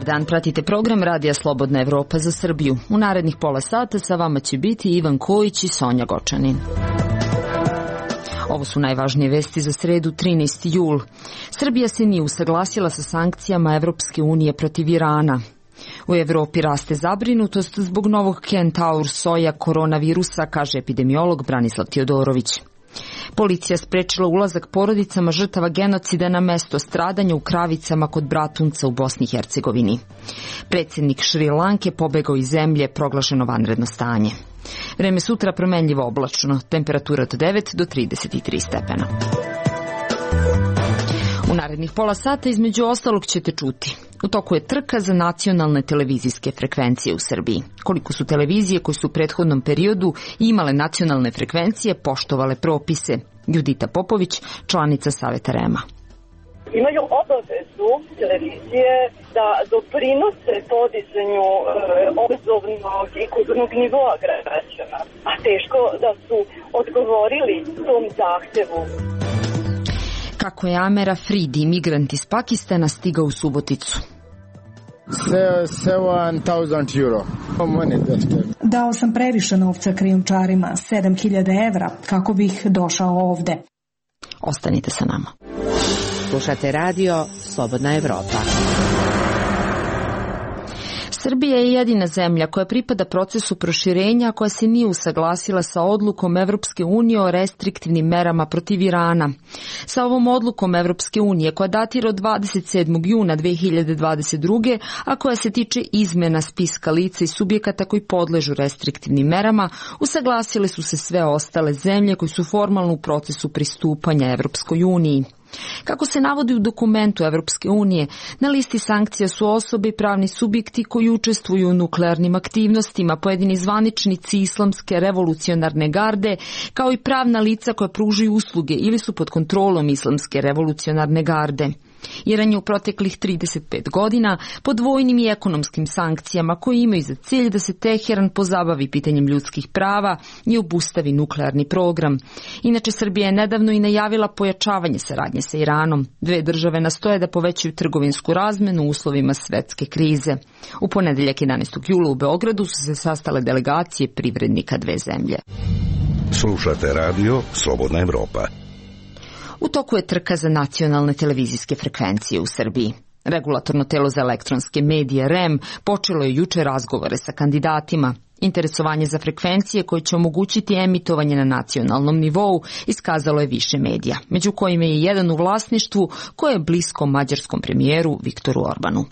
Dobar dan, pratite program Radija Slobodna Evropa za Srbiju. U narednih pola sata sa vama će biti Ivan Kojić i Sonja Gočanin. Ovo su najvažnije vesti za sredu 13. jul. Srbija se nije usaglasila sa sankcijama Evropske unije protiv Irana. U Evropi raste zabrinutost zbog novog Kentaur soja koronavirusa, kaže epidemiolog Branislav Tijodorović. Policija sprečila ulazak porodicama žrtava genocida na mesto stradanja u Kravicama kod Bratunca u Bosni i Hercegovini. Predsjednik Šri Lanke pobegao iz zemlje, proglašeno vanredno stanje. Vreme sutra promenljivo oblačno, temperatura od 9 do 33 stepena. U narednih pola sata između ostalog ćete čuti. U toku je trka za nacionalne televizijske frekvencije u Srbiji. Koliko su televizije koje su u prethodnom periodu imale nacionalne frekvencije poštovale propise? Judita Popović, članica Saveta REM-a. Imaju obavezu televizije da doprinose podizanju obrazovnog i kulturnog nivoa građana, a teško da su odgovorili tom zahtevu. Kako je Amer Afridi, migrant iz Pakistana, stigao u Suboticu? 7,000 euro. Dao sam previše novca krijumčarima, 7.000 evra, kako bih došao ovde. Ostanite sa nama. Slušate radio Slobodna Evropa. Srbija je jedina zemlja koja pripada procesu proširenja, koja se nije usaglasila sa odlukom Evropske unije o restriktivnim merama protiv Irana. Sa ovom odlukom Evropske unije, koja datira od 27. juna 2022. a koja se tiče izmena spiska lica i subjekata koji podležu restriktivnim merama, usaglasile su se sve ostale zemlje koji su formalno u procesu pristupanja Evropskoj uniji. Kako se navodi u dokumentu Evropske unije, na listi sankcija su osobe i pravni subjekti koji učestvuju u nuklearnim aktivnostima, pojedini zvaničnici Islamske revolucionarne garde, kao i pravna lica koja pružaju usluge ili su pod kontrolom Islamske revolucionarne garde. Iran je u proteklih 35 godina pod vojnim i ekonomskim sankcijama koji imaju za cilj da se Teheran pozabavi pitanjem ljudskih prava i obustavi nuklearni program. Inače, Srbija je nedavno i najavila pojačavanje saradnje sa Iranom. Dve države nastoje da povećaju trgovinsku razmenu u uslovima svetske krize. U ponedeljak 11. jula u Beogradu su se sastale delegacije privrednika dve zemlje. Slušate radio Slobodna Evropa. U toku je trka za nacionalne televizijske frekvencije u Srbiji. Regulatorno telo za elektronske medije REM počelo je juče razgovore sa kandidatima. Interesovanje za frekvencije koje će omogućiti emitovanje na nacionalnom nivou iskazalo je više medija, među kojima je jedan u vlasništvu koje je blisko mađarskom premijeru Viktoru Orbanu.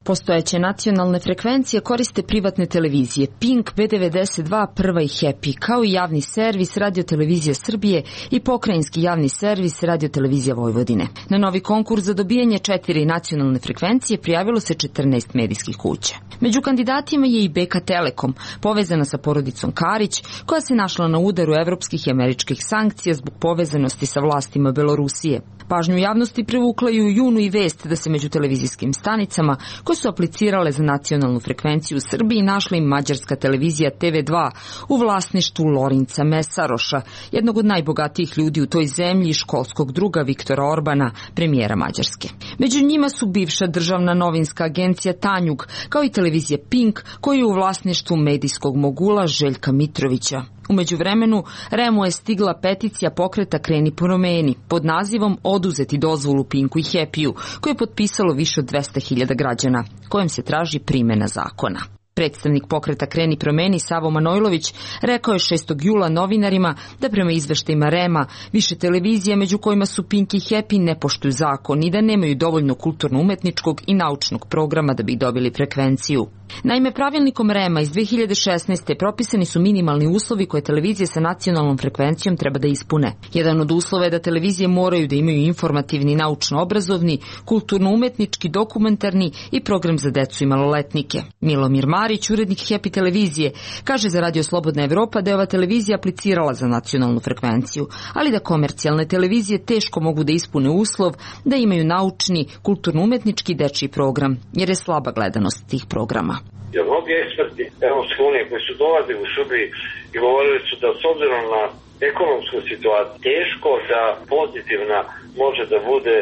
Postojeće nacionalne frekvencije koriste privatne televizije Pink, B92, Prva i Happy, kao i javni servis Radiotelevizija Srbije i pokrajinski javni servis Radiotelevizija Vojvodine. Na novi konkurs za dobijanje 4 nacionalne frekvencije prijavilo se 14 medijskih kuća. Među kandidatima je i BK Telekom, povezana sa porodicom Karić, koja se našla na udaru evropskih i američkih sankcija zbog povezanosti sa vlastima Belorusije. Pažnju javnosti privukla je u junu i vest da se među televizijskim stanicama koje su aplicirale za nacionalnu frekvenciju u Srbiji našla i mađarska televizija TV2 u vlasništvu Lorinca Mesaroša, jednog od najbogatijih ljudi u toj zemlji i školskog druga Viktora Orbana, premijera Mađarske. Među njima su bivša državna novinska agencija Tanjug, kao i televizija Pink, koja je u vlasništvu medijskog mogula Željka Mitrovića. U međuvremenu, REM-u je stigla peticija pokreta Kreni promeni pod nazivom Oduzeti dozvolu Pinku i Happy-u, koje je potpisalo više od 200.000 građana, kojem se traži primjena zakona. Predstavnik pokreta Kreni promeni Savo Manojlović rekao je 6. jula novinarima da prema izveštajima REM-a više televizija među kojima su Pink i Happy ne poštuju zakon i da nemaju dovoljno kulturno-umetničkog i naučnog programa da bi dobili frekvenciju. Naime, pravilnikom REM-a iz 2016. propisani su minimalni uslovi koje televizije sa nacionalnom frekvencijom treba da ispune. Jedan od uslova je da televizije moraju da imaju informativni, naučno-obrazovni, kulturno-umetnički, dokumentarni i program za decu i maloletnike. Milomir Marić, urednik Happy televizije, kaže za Radio Slobodna Evropa da je ova televizija aplicirala za nacionalnu frekvenciju, ali da komercijalne televizije teško mogu da ispune uslov da imaju naučni, kulturno-umetnički dečiji program, jer je slaba gledanost tih programa. Jer mnogi eksperti Evropske unije koji su dolazili u Srbiji i govorili su da s obzirom na ekonomsku situaciju teško da pozitivna može da bude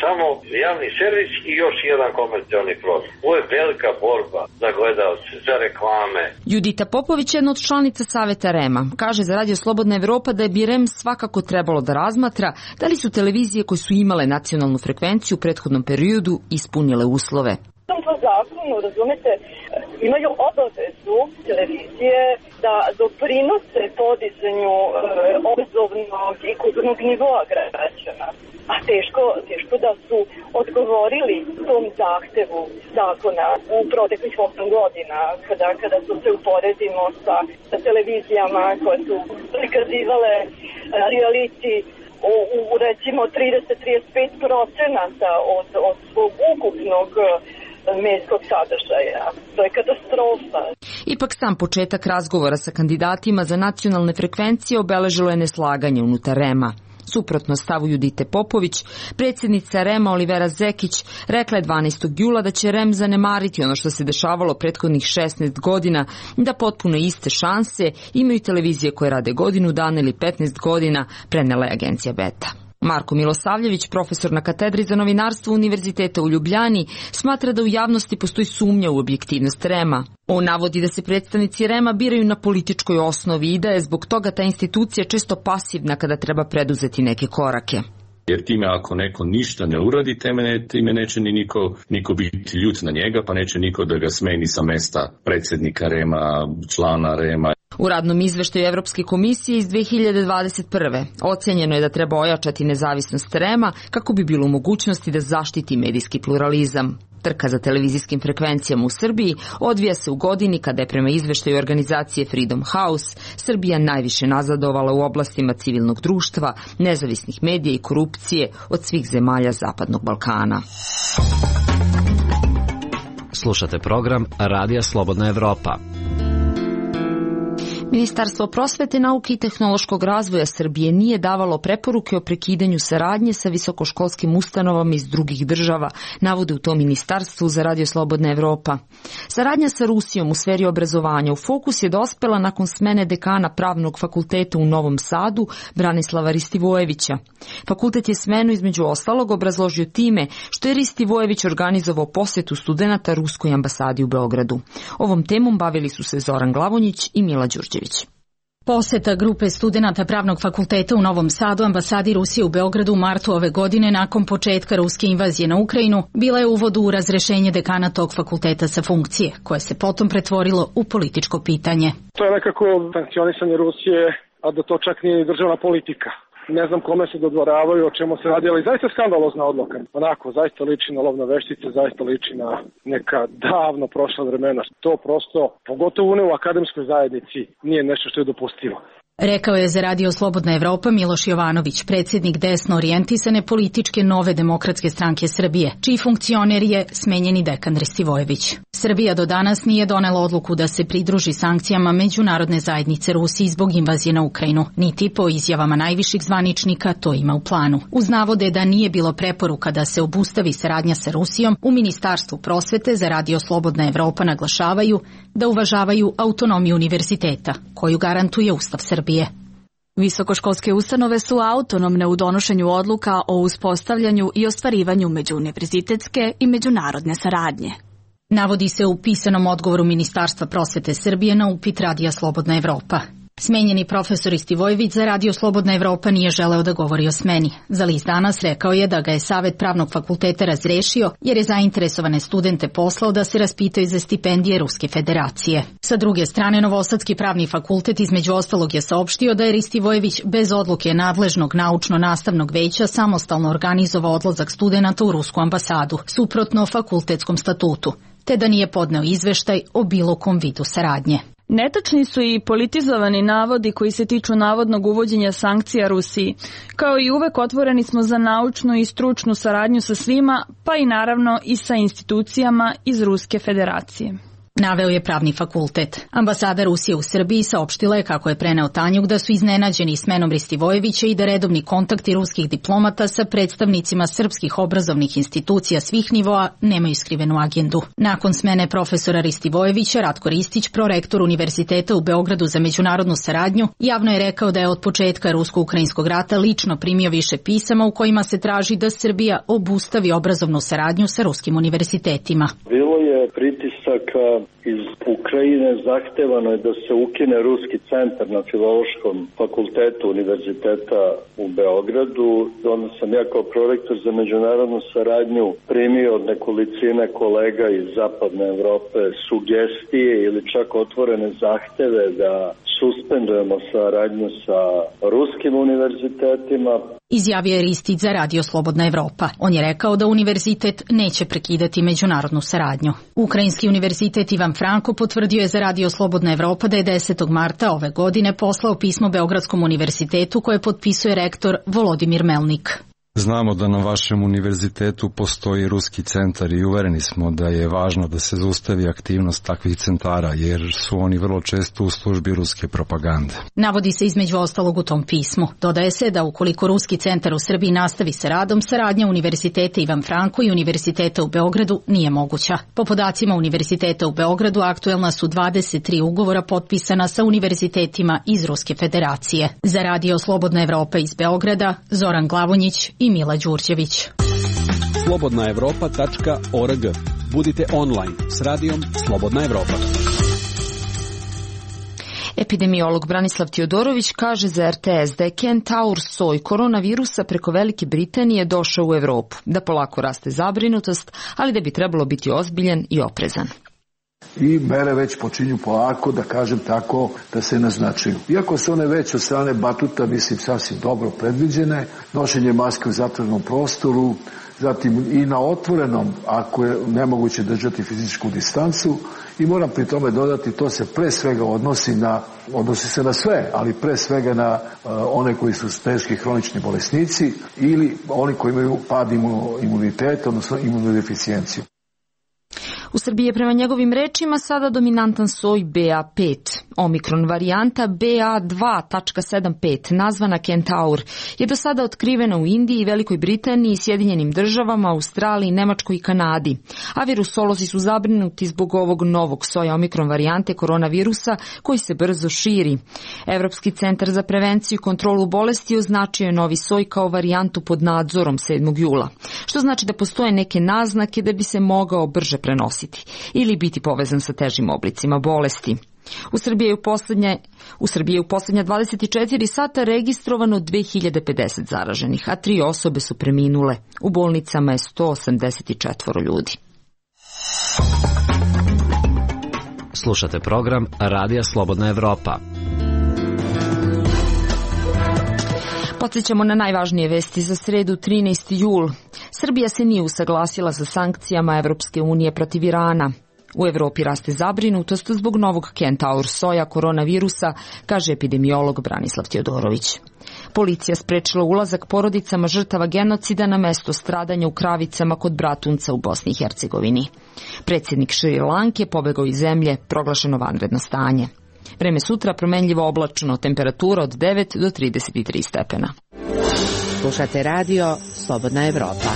samo javni servis i još jedan komercijalni program. Ovo je velika borba za gledalce, za reklame. Judita Popović, jedna od članica Saveta REM-a, kaže za Radio Slobodna Evropa da bi REM svakako trebalo da razmatra da li su televizije koje su imale nacionalnu frekvenciju u prethodnom periodu ispunile uslove. Po zakonu, razumete, imaju obavezu televizije da doprinose podizanju obrazovnog i kulturnog nivoa građana. A teško da su odgovorili tom zahtevu zakona u proteklih 8 godina, kada su se uporedimo sa televizijama koje su prikazivale reality u recimo 30-35% od svog ukupnog medijskog sadržaja. To je katastrofa. Ipak sam početak razgovora sa kandidatima za nacionalne frekvencije obeležilo je neslaganje unutar REM-a. Suprotno stavu Judite Popović, predsjednica REM-a Olivera Zekić rekla je 12. jula da će REM zanemariti ono što se dešavalo prethodnih 16 godina, da potpuno iste šanse imaju televizije koje rade godinu dana ili 15 godina, prenela je agencija Beta. Marko Milosavljević, profesor na katedri za novinarstvo Univerziteta u Ljubljani, smatra da u javnosti postoji sumnja u objektivnost REM-a. On navodi da se predstavnici REM-a biraju na političkoj osnovi i da je zbog toga ta institucija često pasivna kada treba preduzeti neke korake. Jer time ako neko ništa ne uradi, time neće ni niko biti ljut na njega, pa neće niko da ga smeni sa mesta predsjednika REM-a, člana REM-a. U radnom izveštaju Evropske komisije iz 2021. ocenjeno je da treba ojačati nezavisnost REM-a kako bi bilo u mogućnosti da zaštiti medijski pluralizam. Trka za televizijskim frekvencijama u Srbiji odvija se u godini kada je prema izveštaju organizacije Freedom House Srbija najviše nazadovala u oblastima civilnog društva, nezavisnih medija i korupcije od svih zemalja Zapadnog Balkana. Slušate program Radija Slobodna Evropa. Ministarstvo prosvete, nauke i tehnološkog razvoja Srbije nije davalo preporuke o prekidanju saradnje sa visokoškolskim ustanovama iz drugih država, navode u tom ministarstvu za Radio Slobodna Evropa. Saradnja sa Rusijom u sferi obrazovanja u fokus je dospela nakon smene dekana Pravnog fakulteta u Novom Sadu, Branislava Ristivojevića. Fakultet je smenu između ostalog obrazložio time što je Ristivojević organizovao posetu studenata Ruskoj ambasadi u Beogradu. Ovom temom bavili su se Zoran Glavonjić i Mila Đurđević. Poseta grupe studenata Pravnog fakulteta u Novom Sadu ambasadi Rusije u Beogradu u martu ove godine nakon početka ruske invazije na Ukrajinu bila je uvod u razrešenje dekana tog fakulteta sa funkcije, koje se potom pretvorilo u političko pitanje. To je nekako sankcionisanje Rusije, a da to čak nije državna politika. Ne znam kome se dodvoravaju, o čemu se radi, ali zaista skandalozna odluka. Onako, zaista liči na lovne veštice, zaista liči na neka davno prošla vremena. To prosto, pogotovo u akademskoj zajednici, nije nešto što je dopustivo. Rekao je za Radio Slobodna Evropa Miloš Jovanović, predsjednik desno orijentisane političke Nove demokratske stranke Srbije, čiji funkcioner je smenjeni dekan Ristivojević. Srbija do danas nije donela odluku da se pridruži sankcijama međunarodne zajednice Rusiji zbog invazije na Ukrajinu, niti po izjavama najviših zvaničnika to ima u planu. Uz navode da nije bilo preporuka da se obustavi saradnja sa Rusijom, u Ministarstvu prosvete za Radio Slobodna Evropa naglašavaju da uvažavaju autonomiju univerziteta, koju garantuje Ustav Srbije. Visokoškolske ustanove su autonomne u donošenju odluka o uspostavljanju i ostvarivanju međuuniverzitetske i međunarodne saradnje. Navodi se u pisanom odgovoru Ministarstva prosvete Srbije na upit Radija Slobodna Evropa. Smenjeni profesor Ristivojević za Radio Slobodna Evropa nije želeo da govori o smeni. Za list Danas rekao je da ga je Savet Pravnog fakulteta razrešio jer je zainteresovane studente poslao da se raspitaju za stipendije Ruske federacije. Sa druge strane, Novosadski pravni fakultet između ostalog je saopštio da je Ristivojević bez odluke nadležnog naučno-nastavnog veća samostalno organizovao odlazak studenata u Rusku ambasadu, suprotno fakultetskom statutu, te da nije podneo izveštaj o bilo kom vidu saradnje. Netačni su i politizovani navodi koji se tiču navodnog uvođenja sankcija Rusiji. Kao i uvek otvoreni smo za naučnu i stručnu saradnju sa svima, pa i naravno i sa institucijama iz Ruske federacije. Naveo je pravni fakultet. Ambasada Rusije u Srbiji saopštila je kako je preneo Tanjuk da su iznenađeni smenom Ristivojevića i da redovni kontakti ruskih diplomata sa predstavnicima srpskih obrazovnih institucija svih nivoa nemaju skrivenu agendu. Nakon smene profesora Ristivojevića, Ratko Ristić, prorektor Univerziteta u Beogradu za međunarodnu saradnju, javno je rekao da je od početka rusko-ukrajinskog rata lično primio više pisama u kojima se traži da Srbija obustavi obrazovnu saradnju sa ruskim univerzitetima. Bilo je pritisaka iz Ukrajine, zahtevano je da se ukine Ruski centar na Filološkom fakultetu Univerziteta u Beogradu. Onda sam ja kao prorektor za međunarodnu saradnju primio od nekolicine kolega iz Zapadne Evrope sugestije ili čak otvorene zahteve da suspendujemo saradnju sa ruskim univerzitetima. Izjavio je Ristić za Radio Slobodna Evropa. On je rekao da univerzitet neće prekidati međunarodnu saradnju. Ukrajinski univerzitet Ivan Franko potvrdio je za Radio Slobodna Evropa da je 10. marta ove godine poslao pismo Beogradskom univerzitetu koje potpisuje rektor Volodimir Melnik. Znamo da na vašem univerzitetu postoji ruski centar i uvereni smo da je važno da se zaustavi aktivnost takvih centara, jer su oni vrlo često u službi ruske propagande. Navodi se između ostalog u tom pismu. Dodaje se da ukoliko Ruski centar u Srbiji nastavi sa radom, saradnja Univerziteta Ivan Franko i Univerziteta u Beogradu nije moguća. Po podacima Univerziteta u Beogradu aktuelna su 23 ugovora potpisana sa univerzitetima iz Ruske federacije. Za Radio Slobodna Evropa iz Beograda, Zoran Glavonjić i Mila Đurđević. slobodnaevropa.org. Budite online s radijom Slobodna Evropa. Epidemiolog Branislav Tijodorović kaže za RTS da je kentaur soj koronavirusa preko Velike Britanije došao u Evropu, da polako raste zabrinutost, ali da bi trebalo biti ozbiljan i oprezan. I mere već počinju polako, da kažem tako, da se naznačuju. Iako su one već od strane batuta, mislim, sasvim dobro predviđene, nošenje maske u zatvorenom prostoru, zatim i na otvorenom, ako je nemoguće držati fizičku distancu, i moram pri tome dodati, to se pre svega odnosi se na sve, ali pre svega na one koji su teški hronični bolesnici ili oni koji imaju pad imuniteta, odnosno imunodeficijenciju. U Srbiji je prema njegovim rečima sada dominantan soj BA5. Omikron varijanta BA2.75, nazvana Kentaur, je do sada otkrivena u Indiji, Velikoj Britaniji, Sjedinjenim državama, Australiji, Nemačkoj i Kanadi. A virusolozi su zabrinuti zbog ovog novog soja omikron varijante koronavirusa koji se brzo širi. Evropski centar za prevenciju i kontrolu bolesti označio je novi soj kao varijantu pod nadzorom 7. jula, što znači da postoje neke naznake da bi se mogao brže prenositi ili biti povezan sa težim oblicima bolesti. U Srbiji je u posljednja 24 sata registrovano 2050 zaraženih, a 3 osobe su preminule. U bolnicama je 184 ljudi. Slušate program Radija Slobodna Evropa. Podsjećamo na najvažnije vesti za sredu 13. jul. Srbija se nije usaglasila sa sankcijama Evropske unije protiv Irana. U Evropi raste zabrinutost zbog novog kentaur soja koronavirusa, kaže epidemiolog Branislav Tijodorović. Policija sprečila ulazak porodicama žrtava genocida na mesto stradanja u Kravicama kod Bratunca u Bosni i Hercegovini. Predsjednik Šri Lanke pobegao iz zemlje, proglašeno vanredno stanje. Vreme sutra promenljivo oblačno, temperatura od 9 do 33 stepena. Slušate radio Slobodna Evropa.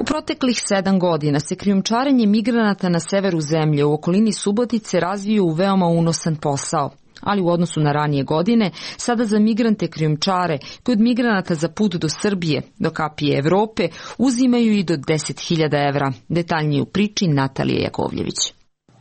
U proteklih 7 godina se krijumčarenje migranata na severu zemlje u okolini Subotice razvio u veoma unosan posao. Ali u odnosu na ranije godine, sada za migrante krijumčare koji od migranata za put do Srbije, do kapije Evrope, uzimaju i do 10.000 evra. Detaljnije u priči Natalije Jakovljević.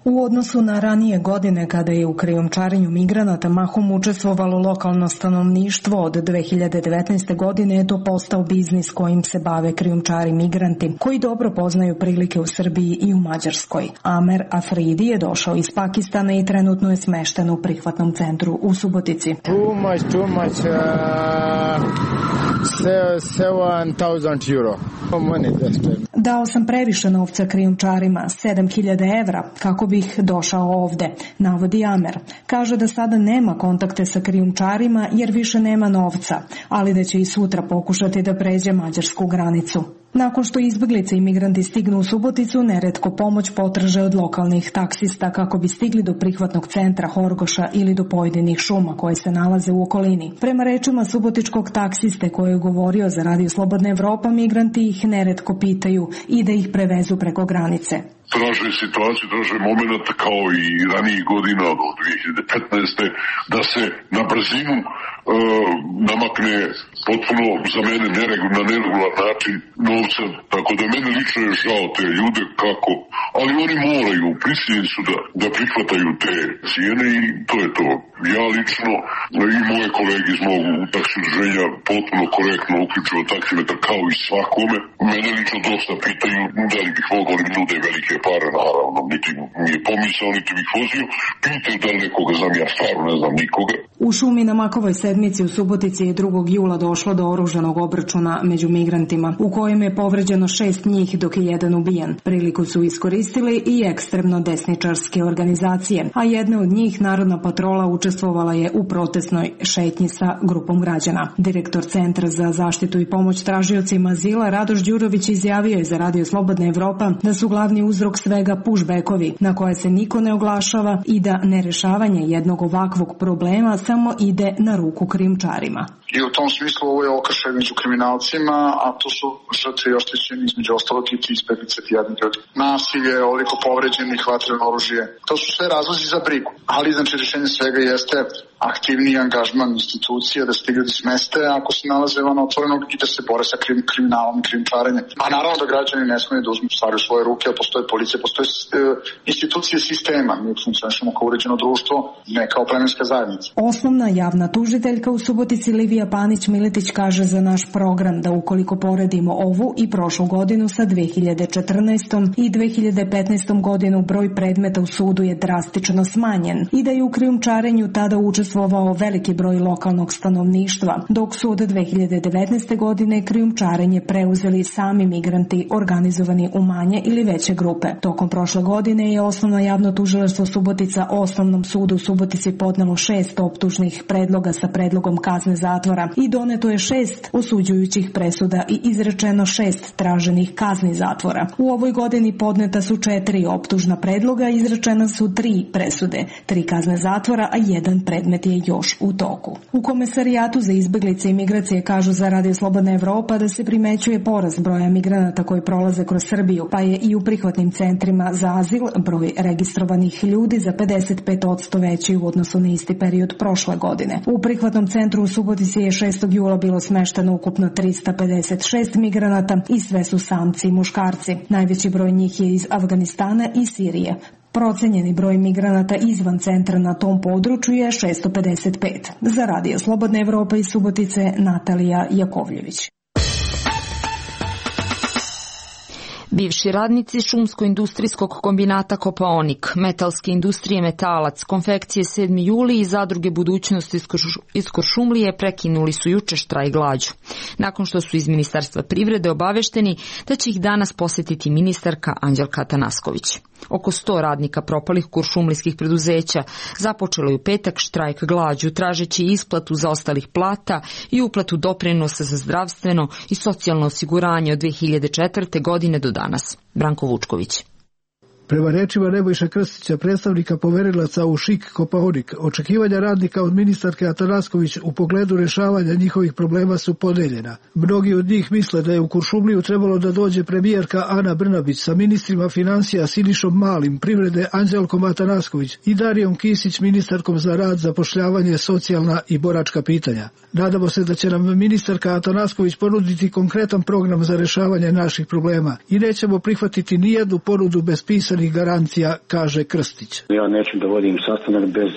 U odnosu na ranije godine, kada je u krijumčarenju migranata mahom učestvovalo lokalno stanovništvo, od 2019. godine je to postao biznis kojim se bave krijumčari migranti, koji dobro poznaju prilike u Srbiji i u Mađarskoj. Amer Afridi je došao iz Pakistana i trenutno je smešten u prihvatnom centru u Subotici. Too much, 7,000 euro. Dao sam previše novca krijumčarima, 7.000 evra, kako bih došao ovde, navodi Amer. Kaže da sada nema kontakte sa krijumčarima jer više nema novca, ali da će i sutra pokušati da pređe mađarsku granicu. Nakon što izbeglice i migranti stignu u Suboticu, neretko pomoć potraže od lokalnih taksista kako bi stigli do prihvatnog centra Horgoša ili do pojedinih šuma koje se nalaze u okolini. Prema rečima subotičkog taksiste koji je govorio za Radio Slobodna Evropa, migranti ih neretko pitaju i da ih prevezu preko granice. Traže situaciju, traže moment kao i ranijih godina od 2015. da se na brzinu namakne potpuno za mene na neregular način novca, tako da mene lično je žao te ljude kako, ali oni moraju, prisiljeni su da prihvataju te cijene i to je to. Ja lično i moje kolege iz mog taksi udruženja potpuno korektno uključuju taksimetar kao i svakome. Mene lično dosta pitaju da li bih mogao li nude velike pare, naravno, niti mi je pomisao, niti bih vozio. Pitaju da li nekoga znam, ja stvarno ne znam nikoga. U šumi na Makovoj sedmici u Subotici je 2. jula došlo do oružanog obračuna među migrantima, u kojem je povređeno 6 njih dok je jedan ubijen. Priliku su iskoristili i ekstremno desničarske organizacije, a jedna od njih, Narodna patrola, učestvovala je u protestnoj šetnji sa grupom građana. Direktor Centra za zaštitu i pomoć tražiocima azila Radoš Đurović izjavio je za Radio Slobodna Evropa da su glavni uzrok svega pushbackovi na koje se niko ne oglašava i da nerešavanje jednog ovakvog problema samo ide na ruku krijumčarima. I u tom smislu ovo je okršaj među kriminalcima, a tu su žrtve i oštećeni između ostalog i ti izbeglice, ti jadni ljudi. Nasilje, ovoliko povređenih, vatreno oružje. To su sve razlozi za brigu. Ali znači rješenje svega jeste aktivniji angažman institucija da se ti ljudi smeste ako se nalaze van otvorenog i da se bore sa kriminalom i krijumčarenjem. A naravno da građani ne smiju da uzmu stvari u svoje ruke, a postoje policija, postoje institucije sistema. Mi funkcionišemo kao uređeno društvo, ne kao plemenska zajednica. Osnovna javna tužiteljka u Subotici Livija Panić-Miletić kaže za naš program da ukoliko poredimo ovu i prošlu godinu sa 2014. i 2015. godinu, broj predmeta u sudu je drastično smanjen i da je u krijumčarenju tada učestvovao veliki broj lokalnog stanovništva, dok su od 2019. godine krijumčarenje preuzeli sami migranti organizovani u manje ili veće grupe. Tokom prošle godine je Osnovno javno tužilaštvo Subotica Osnovnom sudu u Subotici podnelo 6 optužnih predloga sa predlogom kazne zatvora i doneto je 6 osuđujućih presuda i izrečeno 6 traženih kazni zatvora. U ovoj godini podneta su 4 optužna predloga, izrečena su 3 presude, 3 kazne zatvora, a 1 predmet je još u toku. U Komesarijatu za izbeglice i migracije kažu za Radio Slobodna Evropa da se primećuje porast broja migranata koji prolaze kroz Srbiju, pa je i u prihvatnim centrima za azil broj registrovanih ljudi za 55% veći u odnosu na isti period prošle godine. U prihvatnom centru u Subotici je 6. jula bilo smešteno ukupno 356 migranata i sve su samci i muškarci. Najveći broj njih je iz Afganistana i Sirije. Procenjeni broj migranata izvan centra na tom području je 655. Za Radio Slobodna Evropa iz Subotice, Natalija Jakovljević. Bivši radnici šumsko-industrijskog kombinata Kopaonik, metalske industrije Metalac, konfekcije 7. juli i zadruge Budućnost iz Kuršumlije prekinuli su juče štrajk glađu. Nakon što su iz Ministarstva privrede obavešteni da će ih danas posjetiti ministarka Anđelka Atanasković. Oko 100 radnika propalih kuršumlijskih preduzeća započelo je u petak štrajk glađu, tražeći isplatu zaostalih plata i uplatu doprinosa za zdravstveno i socijalno osiguranje od 2004. godine do danas. Branko Vučković. Prema rečima Nebojše Krstića, predstavnika poverilaca u ŠIK Kopaonik, očekivanja radnika od ministarke Atanasković u pogledu rešavanja njihovih problema su podeljena. Mnogi od njih misle da je u Kuršumliju trebalo da dođe premijerka Ana Brnabić sa ministrima financija Sinišom Malim, privrede Anđelkom Atanasković i Darijom Kisić, ministarkom za rad, zapošljavanje, socijalna i boračka pitanja. Nadamo se da će nam ministarka Atanasković ponuditi konkretan program za rešavanje naših problema i nećemo prihvatiti nijednu ponudu bez pisanih garancija, kaže Krstić. Ja neću da vodim sastanak bez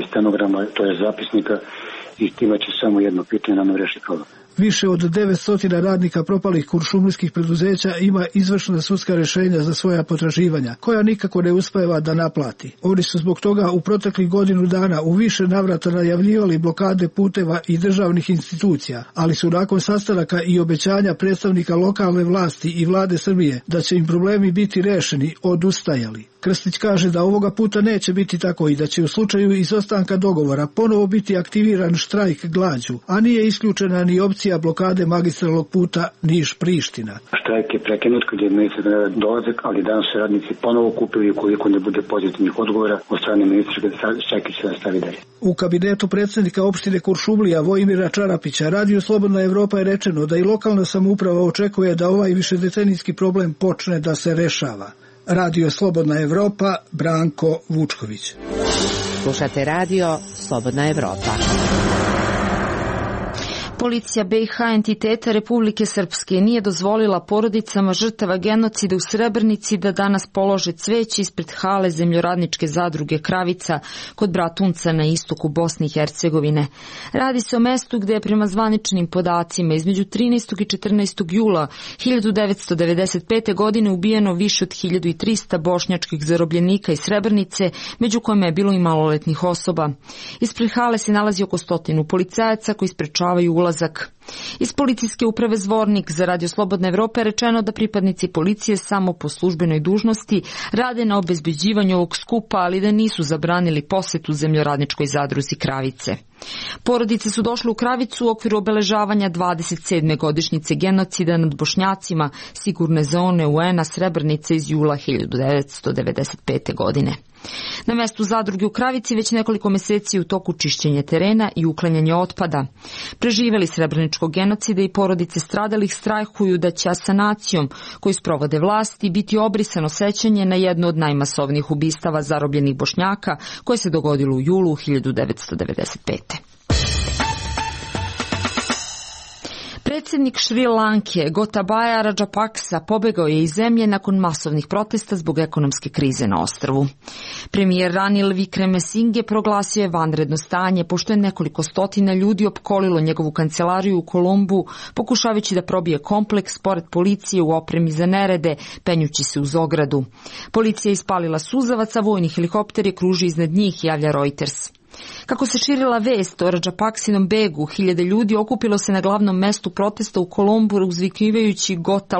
stenograma, to je zapisnika, i time će samo jedno pitanje nam rešiti problem. Više od 900 radnika propalih kuršumlijskih preduzeća ima izvršna sudska rešenja za svoja potraživanja, koja nikako ne uspeva da naplati. Oni su zbog toga u proteklih godinu dana u više navrata najavljivali blokade puteva i državnih institucija, ali su nakon sastanaka i obećanja predstavnika lokalne vlasti i vlade Srbije da će im problemi biti rešeni, odustajali. Krstić kaže da ovoga puta neće biti tako i da će u slučaju izostanka dogovora ponovo biti aktiviran štrajk glađu, a nije isključena ni opcija blokade magistralnog puta Niš-Priština. Štrajk je prekinut kad je ministar dolazak, ali danas se radnici ponovo kupili ukoliko ne bude pozitivnih odgovora od strane ministra, štrajk će nastavi dalje. U kabinetu predsjednika opštine Kuršumlija Vojmira Čarapića Radio Slobodna Evropa je rečeno da i lokalna samouprava očekuje da ovaj višedecenijski problem počne da se rešava. Radio Slobodna Evropa, Branko Vučković. Slušate Radio Slobodna Evropa. Policija BiH entiteta Republike Srpske nije dozvolila porodicama žrtava genocida u Srebrenici da danas polože cveće ispred hale zemljoradničke zadruge Kravica kod Bratunca na istoku Bosne i Hercegovine. Radi se o mestu gde je prema zvaničnim podacima između 13. i 14. jula 1995. godine ubijeno više od 1300 bošnjačkih zarobljenika iz Srebrenice, među kojima je bilo i maloletnih osoba. Ispred hale se nalazi oko 100 policajaca koji sprečavaju ulazak. Iz policijske uprave Zvornik za Radio Slobodna Evropa je rečeno da pripadnici policije samo po službenoj dužnosti rade na obezbeđivanju ovog skupa, ali da nisu zabranili posetu zemljoradničkoj zadruzi Kravice. Porodice su došle u Kravicu u okviru obeležavanja 27. godišnjice genocida nad Bošnjacima sigurne zone UN-a Srebrenice iz jula 1995. godine. Na mestu zadruge u Kravici već nekoliko meseci u toku čišćenja terena i uklanjanja otpada. Preživeli srebreničkog genocida i porodice stradalih strahuju da će asanacijom koju sprovode vlasti biti obrisano sećanje na jedno od najmasovnijih ubistava zarobljenih Bošnjaka koje se dogodilo u julu 1995. Predsjednik Šri Lanke Gotabaya Rajapaksa pobegao je iz zemlje nakon masovnih protesta zbog ekonomske krize na ostrvu. Premijer Ranil Wickremesinghe proglasio je vanredno stanje pošto je nekoliko stotina ljudi opkolilo njegovu kancelariju u Kolombu pokušavajući da probije kompleks pored policije u opremi za nerede, penjući se uz ogradu. Policija je ispalila suzavac, a vojni helikopter je kružio iznad njih, javlja Reuters. Kako se širila vest o Rajapaksinom begu, hiljade ljudi okupilo se na glavnom mestu protesta u Kolombu uzvikivajući Gota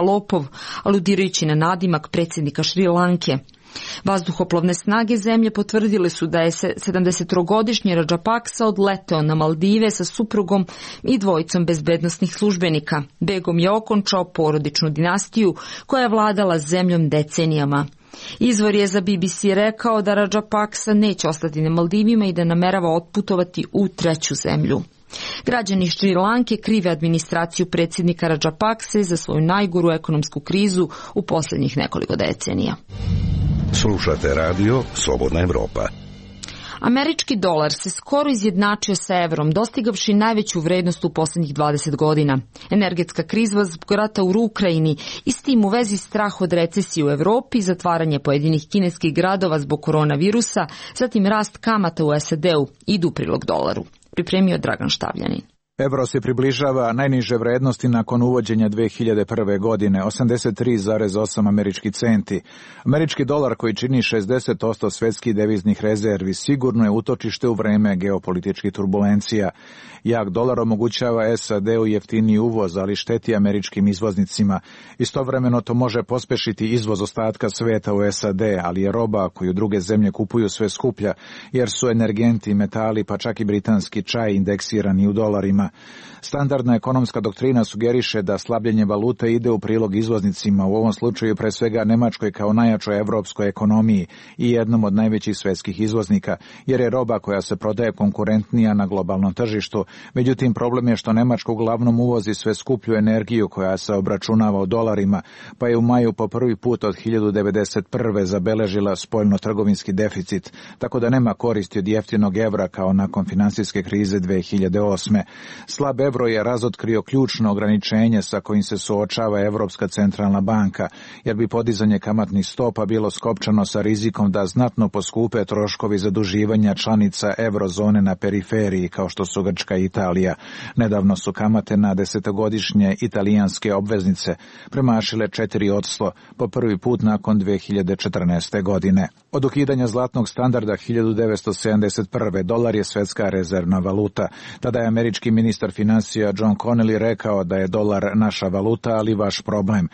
lopov, aludirajući na nadimak predsjednika Šri Lanke. Vazduhoplovne snage zemlje potvrdile su da je 73-godišnji Rajapaksa odleteo na Maldive sa suprugom i dvojicom bezbednosnih službenika. Begom je okončao porodičnu dinastiju koja je vladala zemljom decenijama. Izvor je za BBC rekao da Rajapaksa neće ostati na Maldivima i da namerava otputovati u treću zemlju. Građani Šri Lanke krive administraciju predsjednika Rajapakse za svoju najgoru ekonomsku krizu u posljednjih nekoliko decenija. Slušate Radio Slobodna Evropa. Američki dolar se skoro izjednačio sa evrom, dostigavši najveću vrednost u posljednjih 20 godina. Energetska kriza zbog rata u Ukrajini i s tim u vezi strah od recesije u Evropi, zatvaranje pojedinih kineskih gradova zbog koronavirusa, zatim rast kamata u SAD-u idu u prilog dolaru. Pripremio Dragan Štavljanin. Evro se približava najniže vrednosti nakon uvođenja 2001. godine, 83,8 američki centi. Američki dolar koji čini 60% svetskih deviznih rezervi sigurno je utočište u vreme geopolitičkih turbulencija. Jak dolar omogućava SAD-u jeftiniji uvoz, ali šteti američkim izvoznicima. Istovremeno to može pospešiti izvoz ostatka sveta u SAD, ali je roba koju druge zemlje kupuju sve skuplja, jer su energenti, metali pa čak i britanski čaj indeksirani u dolarima. Standardna ekonomska doktrina sugeriše da slabljenje valute ide u prilog izvoznicima, u ovom slučaju pre svega Nemačkoj kao najjačoj evropskoj ekonomiji i jednom od najvećih svetskih izvoznika, jer je roba koja se prodaje konkurentnija na globalnom tržištu. Međutim, problem je što Nemačka uglavnom uvozi sve skuplju energiju koja se obračunava u dolarima, pa je u maju po prvi put od 1991. zabeležila spoljno-trgovinski deficit, tako da nema koristi od jeftinog evra kao nakon finansijske krize 2008. Slab evro je razotkrio ključno ograničenje sa kojim se suočava Evropska centralna banka, jer bi podizanje kamatnih stopa bilo skopčano sa rizikom da znatno poskupe troškovi zaduživanja članica eurozone na periferiji, kao što su Grčka i Italija. Nedavno su kamate na desetogodišnje italijanske obveznice premašile 4% po prvi put nakon 2014. godine. Od ukidanja zlatnog standarda 1971. dolar je svetska rezervna valuta. Tada je američki ministar ministar finansija John Connelly rekao da je dolar naša valuta, ali vaš problem.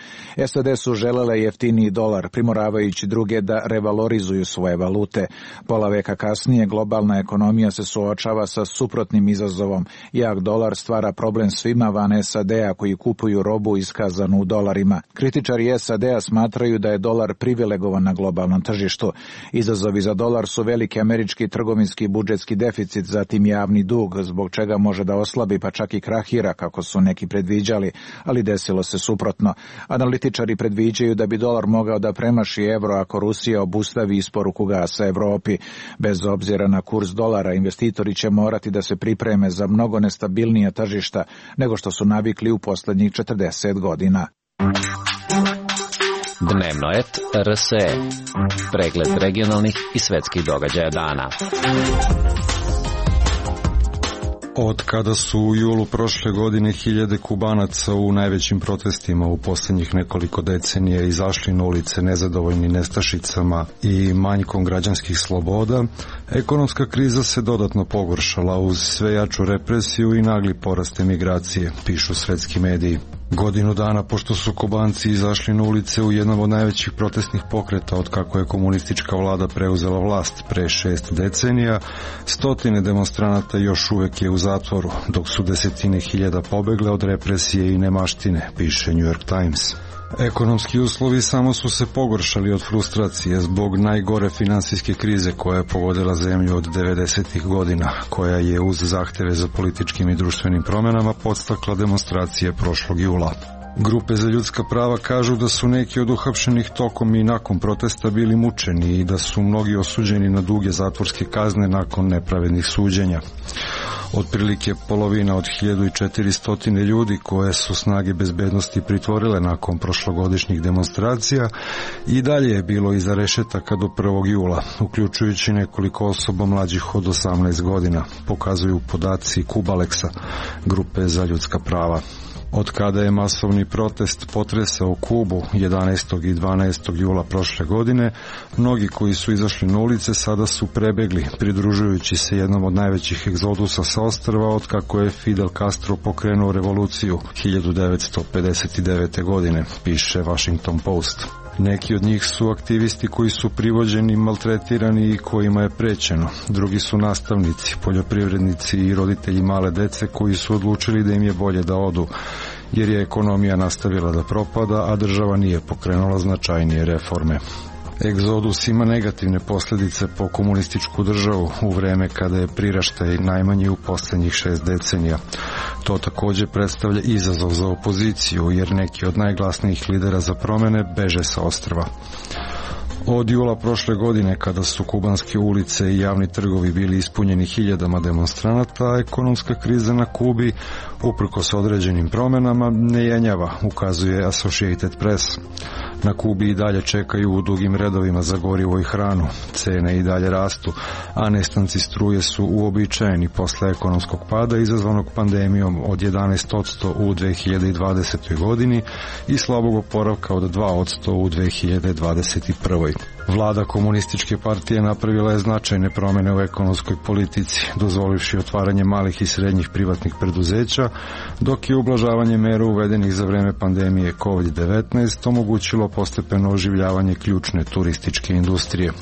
SAD su želele jeftiniji dolar, primoravajući druge da revalorizuju svoje valute. Pola veka kasnije globalna ekonomija se suočava sa suprotnim izazovom. Jak dolar stvara problem svima van SAD-a koji kupuju robu iskazanu u dolarima. Kritičari SAD-a smatraju da je dolar privilegovan na globalnom tržištu. Izazovi za dolar su veliki američki trgovinski i budžetski deficit, zatim javni dug, zbog čega može da oslabi pa čak i krahira, kako su neki predviđali, ali desilo se suprotno. Analitičari predviđaju da bi dolar mogao da premaši evro ako Rusija obustavi isporuku gasa Evropi. Bez obzira na kurs dolara, investitori će morati da se pripreme za mnogo nestabilnija tržišta nego što su navikli u poslednjih 40 godina. Dnevno et RSE. Pregled regionalnih i svetskih događaja dana. Od kada su u julu prošle godine hiljade Kubanaca u najvećim protestima u posljednjih nekoliko decenija izašli na ulice nezadovoljni nestašicama i manjkom građanskih sloboda, ekonomska kriza se dodatno pogoršala uz sve jaču represiju i nagli porast emigracije, pišu svetski mediji. Godinu dana pošto su Kubanci izašli na ulice u jednom od najvećih protestnih pokreta od kako je komunistička vlada preuzela vlast pre 6 decenija, stotine demonstranata još uvek je u zatvoru, dok su desetine hiljada pobegle od represije i nemaštine, piše New York Times. Ekonomski uslovi samo su se pogoršali od frustracije zbog najgore finansijske krize koja je pogodila zemlju od 90. godina, koja je uz zahteve za političkim i društvenim promenama podstakla demonstracije prošlog jula. Grupe za ljudska prava kažu da su neki od uhapšenih tokom i nakon protesta bili mučeni i da su mnogi osuđeni na duge zatvorske kazne nakon nepravednih suđenja. Otprilike polovina od 1400 ljudi koje su snage bezbednosti pritvorile nakon prošlogodišnjih demonstracija i dalje je bilo iza rešetaka do 1. jula, uključujući nekoliko osoba mlađih od 18 godina, pokazuju podaci Kubaleksa, grupe za ljudska prava. Od kada je masovni protest potresao Kubu 11. i 12. jula prošle godine, mnogi koji su izašli na ulice sada su prebegli, pridružujući se jednom od najvećih egzodusa sa ostrva od kako je Fidel Castro pokrenuo revoluciju 1959. godine, piše Washington Post. Neki od njih su aktivisti koji su privođeni, maltretirani i kojima je prećeno. Drugi su nastavnici, poljoprivrednici i roditelji male dece koji su odlučili da im je bolje da odu, jer je ekonomija nastavila da propada, a država nije pokrenula značajnije reforme. Egzodus ima negativne posljedice po komunističku državu u vreme kada je priraštaj najmanji u posljednjih 6 decenija. To također predstavlja izazov za opoziciju, jer neki od najglasnijih lidera za promjene beže sa ostrva. Od jula prošle godine, kada su kubanske ulice i javni trgovi bili ispunjeni hiljadama demonstranata, ekonomska kriza na Kubi, uprkos određenim promjenama, ne jenjava, ukazuje Associated Press. Na Kubi i dalje čekaju u dugim redovima za gorivo i hranu, cene i dalje rastu, a nestanci struje su uobičajeni posle ekonomskog pada izazvanog pandemijom od 11% u 2020. godini i slabog oporavka od 2% u 2021. Vlada komunističke partije napravila je značajne promjene u ekonomskoj politici, dozvolivši otvaranje malih i srednjih privatnih preduzeća, dok je ublažavanje mera uvedenih za vreme pandemije COVID-19 omogućilo postepeno oživljavanje ključne turističke industrije.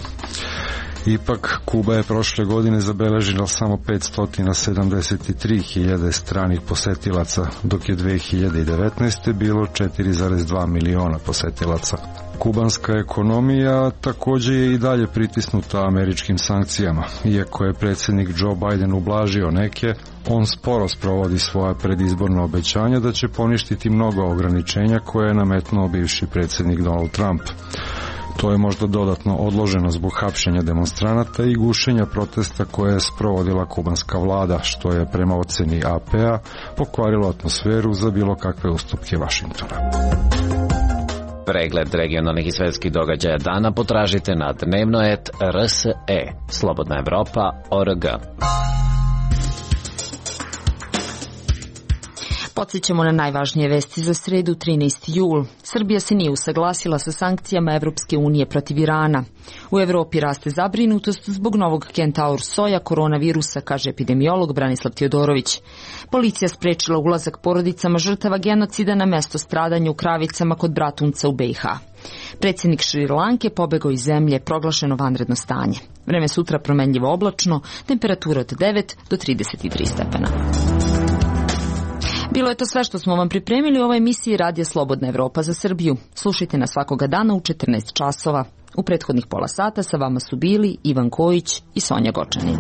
Ipak, Kuba je prošle godine zabeležila samo 573.000 stranih posetilaca, dok je 2019. bilo 4,2 miliona posetilaca. Kubanska ekonomija također je i dalje pritisnuta američkim sankcijama. Iako je predsjednik Joe Biden ublažio neke, on sporo sprovodi svoja predizborna obećanja da će poništiti mnogo ograničenja koje je nametnuo bivši predsjednik Donald Trump. To je možda dodatno odloženo zbog hapšenja demonstranata i gušenja protesta koje je sprovodila kubanska vlada, što je prema oceni AP-a pokvarilo atmosferu za bilo kakve ustupke Vašingtona. Pregled regionalnih i svetskih događaja dana potražite na dnevno.rs.e, Slobodna Evropa.org. Podsjećamo na najvažnije vesti za sredu 13. jul. Srbija se nije usaglasila sa sankcijama Evropske unije protiv Irana. U Evropi raste zabrinutost zbog novog Kentaur soja koronavirusa, kaže epidemiolog Branislav Teodorović. Policija sprečila ulazak porodicama žrtava genocida na mesto stradanja u Kravicama kod Bratunca u BiH. Predsjednik Šrilanke pobegao iz zemlje, proglašeno vanredno stanje. Vreme sutra promenljivo oblačno, temperatura od 9 do 33 stepena. Bilo je to sve što smo vam pripremili u ovoj emisiji Radija Slobodna Evropa za Srbiju. Slušajte nas svakoga dana u 14 časova. U prethodnih pola sata sa vama su bili Ivan Kojić i Sonja Gočanin.